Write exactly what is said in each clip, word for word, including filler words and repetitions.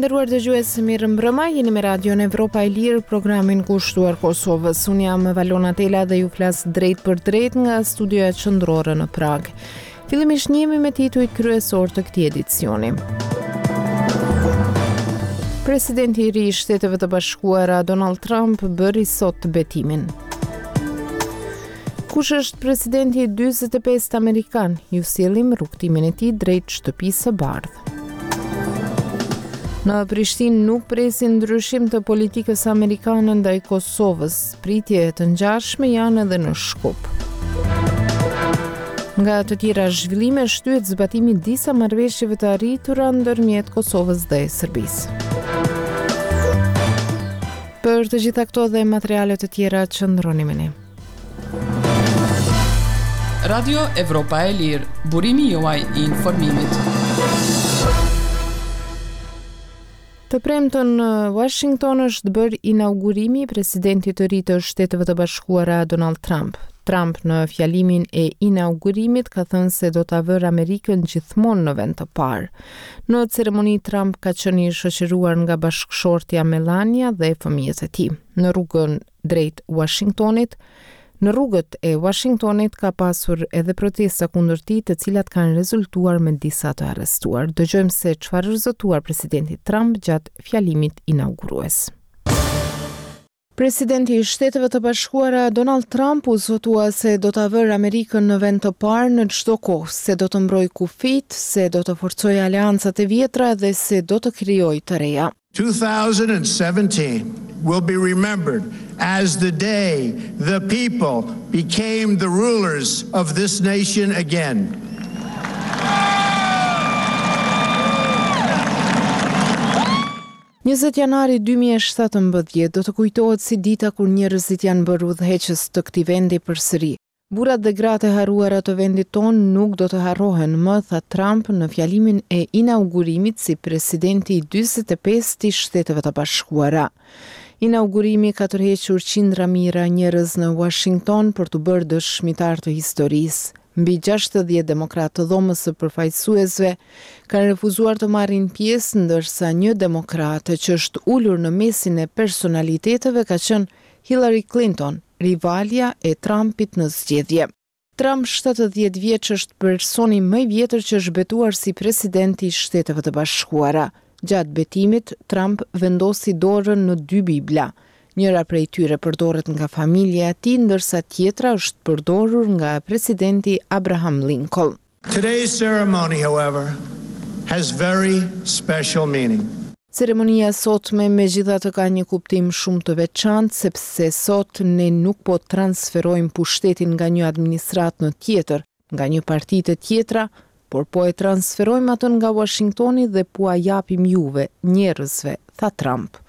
Të nderuar dëgjues, mirëmbrëma, jeni me Radion Evropa e Lirë, programin kushtuar Kosovës. Unë jam Valona Tela dhe ju flas drejt për drejt nga studioja qendrore në Pragë. Fillimisht njihemi me titujt kryesor të këtij edicioni. Presidenti i ri i Shteteve të Bashkuara Donald Trump bëri sot betimin. Kush është presidenti i dyzet e pestë amerikan? Ju sjellim rrugëtimin e tij drejt Shtëpisë së Bardhë. Në Prishtinë nuk presin ndryshim të politikës amerikane ndaj Kosovës. Pritje të ngjashme janë edhe në Shkup. Nga të tjera zhvillime, shtyhet zbatimi i disa marrëveshjeve të arritura ndërmjet Kosovës dhe Serbisë. Për të gjitha këto dhe materiale të tjera, qëndroni me ne. Radio Evropa e Lirë, burimi juaj i informimit. Të premten në Washington është bërë inaugurimi i presidentit të ri të Shteteve të Bashkuara Donald Trump. Trump në fjalimin e inaugurimit ka thënë se do ta vërë Amerikën gjithmonë në vend të parë. Në ceremoni Trump ka qenë i shoqëruar nga bashkëshortja Melania dhe fëmijët e tij. Në rrugën drejt Washingtonit, Në rrugët e Washingtonit ka pasur edhe protesta kundër tij, të cilat kanë rezultuar me disa të arrestuar. Dëgjojmë se çfarë është zotuar presidenti Trump gjatë fjalimit inaugurues. Presidenti i Shteteve të Bashkuara Donald Trump u zotua se do ta vërë Amerikën në vend të parë në çdo kohë, se do të mbrojë kufijtë, se do të forcojë aleancat e vjetra dhe se do të krijojë të reja. twenty seventeen will be remembered as the day the people became the rulers of this nation again. Njëzet janari dy mijë e shtatëmbëdhjetë do të kujtohet si dita kur njerëzit janë bërë udhëheqës të këtij vendi përsëri. Burrat dhe gratë e harruara të vendit tonë nuk do të harrohen më, tha Trump në fjalimin e inaugurimit si presidenti i dyzet e pestë i Shteteve të Bashkuara. Inaugurimi ka tërhequr qindra mijëra njerëz në Washington për të bërë dëshmitar të historisë. Mbi gjashtëdhjetë demokratë të Dhomës së Përfaqësuesve kanë refuzuar të marrin pjesë, ndërsa një demokrat që është ulur në mesin e personaliteteve ka qenë Hillary Clinton, rivalja e Trumpit në zgjedhje. Trump, shtatëdhjetë vjeç, është personi më i vjetër që është betuar si presidenti i Shteteve të Bashkuara. Gjatë betimit, Trump vendosi dorën në dy Bibla. Njëra prej tyre përdoret nga familja e tij, ndërsa tjetra është përdorur nga presidenti Abraham Lincoln. Today's ceremony, however, has very special meaning. Ceremonia e sotme megjithatë ka një kuptim shumë të veçantë, sepse sot ne nuk po transferojmë pushtetin nga një administratë në tjetër, nga një parti të tjetra, por po e transferojmë atë nga Washingtoni dhe po a japim juve, njerëzve, tha Trump.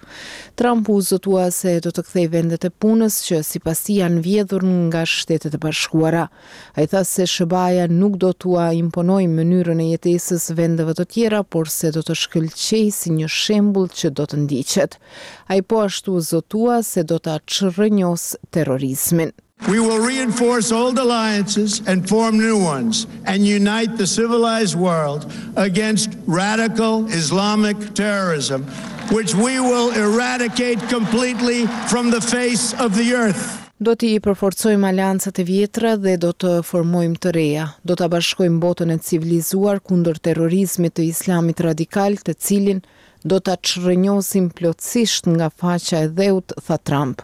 Trump u zotua se do të kthejë vendet e punës që sipas tij janë vjedhur nga Shtetet e Bashkuara. Ai tha se S H B A-ja nuk do t'ua imponojë mënyrën e jetesës vendeve të tjera, por se do të shkëlqejë si një shembull që do të ndiqet. Ai po ashtu u zotua se do ta çrrënjos terrorizmin. We will reinforce old alliances and form new ones and unite the civilized world against radical Islamic terrorism, which we will eradicate completely from the face of the earth. Do t'i përforcojmë aleancat e vjetra dhe do të formojmë të reja. Do ta bashkojmë botën e civilizuar kundër terrorizmit të islamit radikal, të cilin do ta çrrënjosim plotësisht nga faqja e dheut, tha Trump.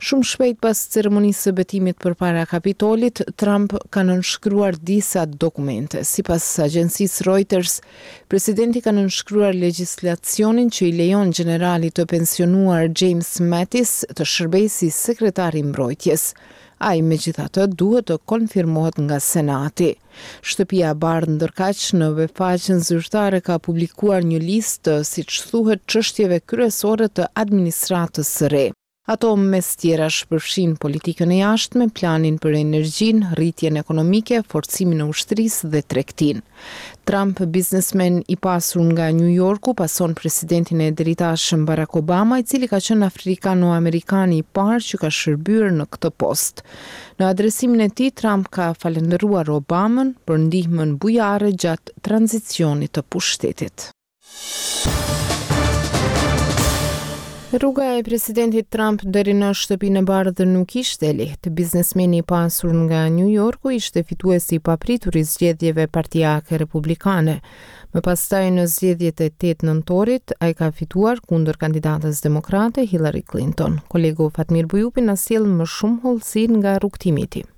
Shumë shpejt pas ceremonisë së betimit përpara Kapitolit, Trump ka nënshkruar disa dokumente. Sipas agjencisë Reuters, presidenti ka nënshkruar legjislacionin që i lejon generalit të pensionuar James Mattis të shërbejë si sekretar i mbrojtjes. Ai megjithatë duhet të konfirmohet nga Senati. Shtëpia e Bardhë ndërkaq në webfaqen zyrtare ka publikuar një listë të, siç thuhet, çështjeve kryesore të administratës së re. Ato mes tjerash përfshin politikën e jashtme, planin për energjinë, rritjen ekonomike, forcimin e ushtrisë dhe tregtinë. Trump, biznesmen i pasur nga New Yorku, pason presidentin e deritashëm Barack Obama, i cili ka qenë afrikano-amerikani i parë që ka shërbyer në këtë post. Në adresimin e tij, Trump ka falënderuar Obamën për ndihmën bujare gjatë tranzicionit të pushtetit. Rruga e presidentit Trump deri në Shtëpinë e Bardhë nuk ishte e lehtë. Biznesmeni i pasur nga New Yorku ishte fituesi i papritur i zgjedhjeve partiake republikane. Më pastaj, në zgjedhjet e tetë nëntorit, ai ka fituar kundër kandidatës demokrate Hillary Clinton. Kolegu Fatmir Bujupi na sjell më shumë hollësi nga rrugëtimi i tij.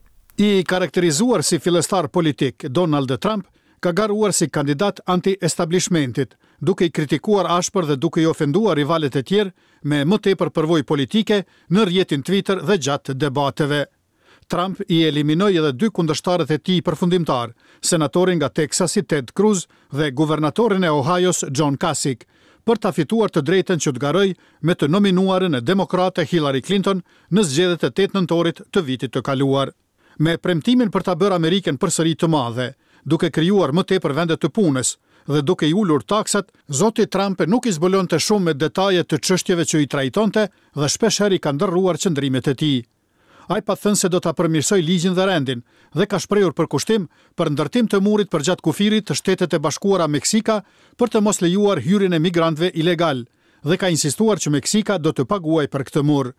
I karakterizuar si fillestar politik, Donald Trump ka garuar si kandidat anti-establishmentit, duke i kritikuar ashpër dhe duke i ofenduar rivalët e tjerë me më tepër përvojë politike në rrjetin Twitter dhe gjatë debateve. Trump i eliminoi edhe dy kundërshtarët e tij përfundimtar, senatorin nga Texasi Ted Cruz dhe guvernatorin e Ohios John Kasich, për ta fituar të drejtën që të garojë me të nominuarën e demokrate Hillary Clinton në zgjedhjet e tetë nëntorit të vitit të kaluar. Me premtimin për ta bërë Amerikën përsëri të madhe, duke krijuar më tepër vende të punës dhe duke i ulur taksat, zoti Trump nuk i zbulonte shumë me detaje të çështjeve që i trajtonte dhe shpeshherë i ka ndërruar qëndrimet e tij. Ai pat thënë se do ta përmirësojë ligjin dhe rendin dhe ka shprehur përkushtim për ndërtim të murit përgjatë kufirit të Shtetet e Bashkuara Meksika për të mos lejuar hyrjen e migrantëve ilegal dhe ka insistuar që Meksika do të paguajë për këtë mur.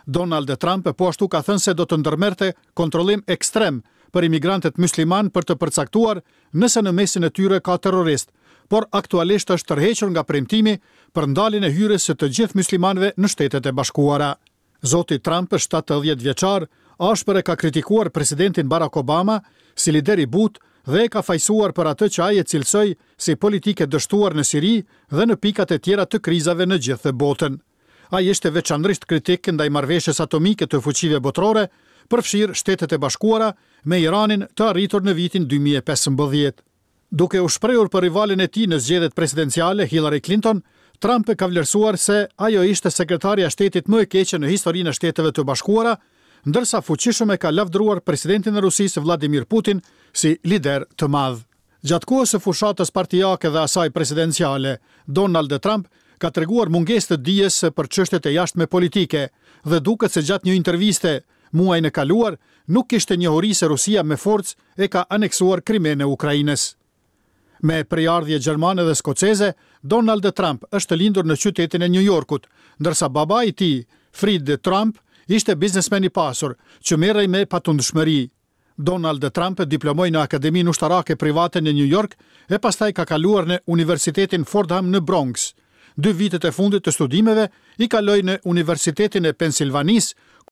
Donald Trump po ashtu ka thënë se do të ndërmerrte kontrollim ekstrem për imigrantët musliman për të përcaktuar nëse në mesin e tyre ka terrorist, por aktualisht është tërhequr nga premtimi për ndaljen e hyrjes së të gjithë muslimanëve në Shtetet e Bashkuara. Zoti Trump, shtatëdhjetë vjeçar, ashpër e ka kritikuar presidentin Barack Obama si lider i butë dhe e ka fajësuar për atë që ai e cilësoi si politikë e dështuar në Siri dhe në pikat e tjera të krizave në gjithë botën. Ai ishte veçanërisht kritik ndaj marrëveshjes atomike të fuqive botërore, përfshirë Shtetet e Bashkuara, me Iranin të arritur në vitin dy mijë e pesëmbëdhjetë. Duke u shprehur për rivalin e tij në zgjedhjet presidenciale, Hillary Clinton, Trump ka vlerësuar se ajo ishte sekretarja e shtetit më e keqe në historinë e Shteteve të Bashkuara, ndërsa fuqishëm e ka lavdëruar presidentin e Rusisë Vladimir Putin si lider të madh. Gjatë kohës së fushatës partiake dhe asaj presidenciale, Donald Trump ka treguar mungesë të dijes për çështjet e jashtme politike dhe duket se gjatë një interviste muajin e kaluar nuk kishte njohuri se Rusia me forcë e ka aneksuar Krimenë e Ukrainës. Me prejardhje gjermane dhe skoceze, Donald Trump është lindur në qytetin e New Yorkut, ndërsa baba i tij, Fred Trump, ishte biznesmen i pasur që merrej me patundshmëri. Donald Trump diplomoi në Akademinë Ushtarake Private në New York e pastaj ka kaluar në Universitetin Fordham në Bronx. Dy vitet e fundit të studimeve i kaloi në Universitetin e Pensilvanisë.